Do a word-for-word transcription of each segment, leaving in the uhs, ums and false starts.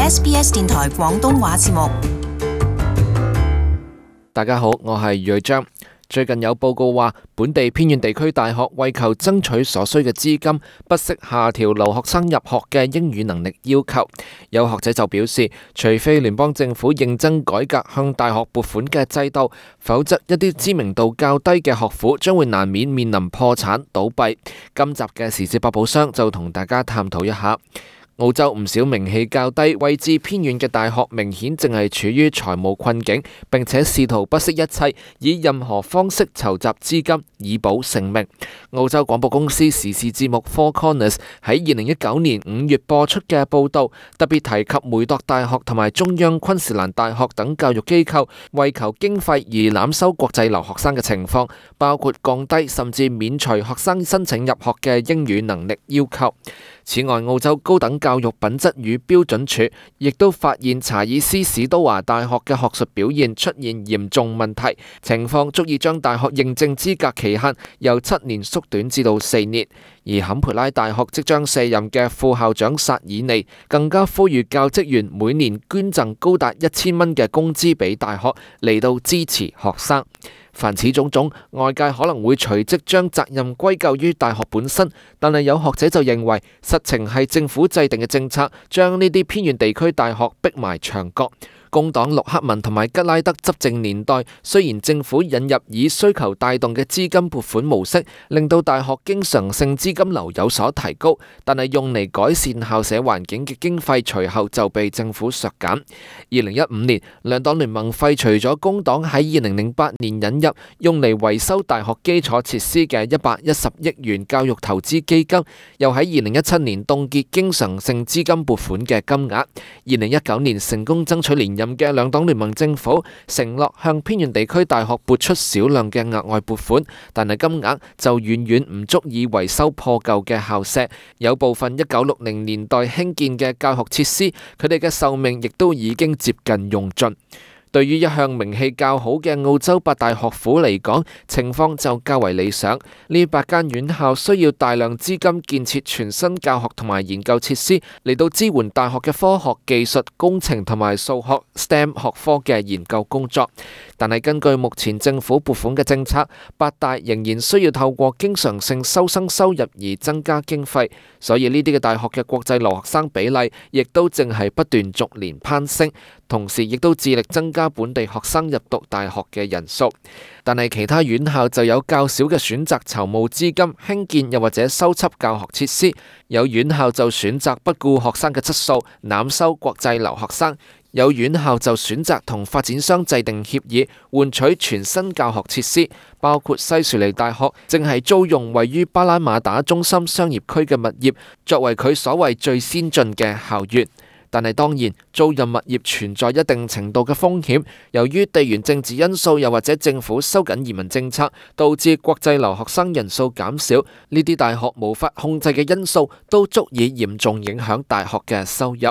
S B S 電台廣東話節目。大家好，我係余章。最近有報告話，本地偏遠地區大學為求爭取所需嘅資金，不惜下調留學生入學嘅英語能力要求。有學者就表示，除非聯邦政府認真改革向大學撥款嘅制度，否則一啲知名度較低嘅學府將會難免面臨破產倒閉。今集嘅時事百寶箱就同大家探討一下。澳洲唔少名氣較低、位置偏遠嘅大學，明顯淨係處於財務困境，並且試圖不惜一切，以任何方式籌集資金以保性命。澳洲廣播公司時事節目 Four Corners 喺二零一九年五月播出嘅報導，特別提及梅鐸大學同埋中央昆士蘭大學等教育機構為求經費而濫收國際留學生嘅情況，包括降低甚至免除學生申請入學嘅英語能力要求。此外，澳洲高等教育品質與標準署亦都發現查爾斯史都華大學嘅學術表現出現嚴重問題，情況足以將大學認證資格期限由七年縮短至到四年。而坎培拉大學即將卸任嘅副校長薩爾尼更加呼籲教職員每年捐贈高達一千蚊嘅工資俾大學嚟到支持學生。凡此種種，外界可能會隨即將責任歸咎於大學本身，但係有學者就認為，實情係政府制定嘅政策將呢啲偏遠地區大學逼埋牆角。工黨陸克文同埋吉拉德執政年代，雖然政府引入以需求帶動嘅資金撥款模式，令到大學經常性資金流有所提高，但係用嚟改善校舍環境嘅經費隨後就被政府削減。二零一五年，兩黨聯盟廢除咗工黨喺二零零八年引入用嚟維修大學基礎設施嘅一百一十億元教育投資基金，又喺二零一七年凍結經常性資金撥款嘅金額。二零一九年成功爭取連任嘅兩黨聯盟政府承諾向偏遠地區大學撥出少量嘅額外撥款，但係金額就遠遠唔足以維修破舊嘅校舍。有部分一九六零年代興建嘅教學設施，佢哋嘅壽命亦都已經接近用盡。對於一向名氣較好嘅澳洲八大學府嚟講，情況就較為理想。呢八間院校需要大量資金建設全新教學同埋研究設施，嚟到支援大學嘅科學、技術、工程同埋數學 S T E M 學科嘅研究工作。但係根據目前政府撥款嘅政策，八大仍然需要透過經常性收生收入而增加經費，所以呢啲嘅大學嘅國際留學生比例亦都正係不斷逐年攀升。同時亦都致力增加本地學生入讀大學嘅人數，但係其他院校就有較少嘅選擇籌募資金興建又或者修葺教學設施，有院校就選擇不顧學生嘅質素，濫收國際留學生，有院校就選擇同發展商制定協議，換取全新教學設施，包括西樹梨大學正係租用位於巴拉馬打中心商業區嘅物業，作為佢所謂最先進嘅校園。但係當然，租賃物業存在一定程度嘅風險，由於地緣政治因素，又或者政府收緊移民政策，導致國際留學生人數減少，呢啲大學無法控制嘅因素都足以嚴重影響大學嘅收入。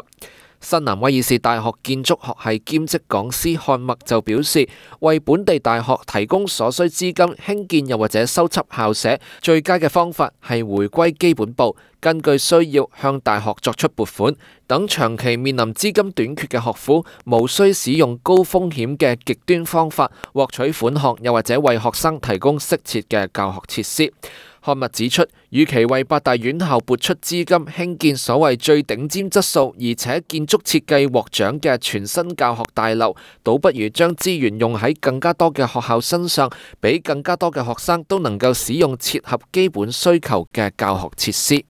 新南威爾士大學建築學系兼職講師漢默就表示，為本地大學提供所需資金興建又或者修葺校舍，最佳嘅方法係回歸基本步，根據需要向大學作出撥款，等長期面臨資金短缺嘅學府無需使用高風險嘅極端方法獲取款項，又或者為學生提供適切嘅教學設施。漢默指出，與其為八大院校撥出資金興建所謂最頂尖質素而且建築設計獲獎嘅全新教學大樓，倒不如將資源用喺更加多嘅學校身上，俾更加多嘅學生都能夠使用切合基本需求嘅教學設施。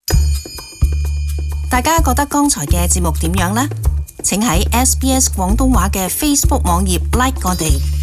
大家覺得剛才嘅節目點樣呢？請喺 S B S 廣東話嘅 Facebook 網頁 like 我哋。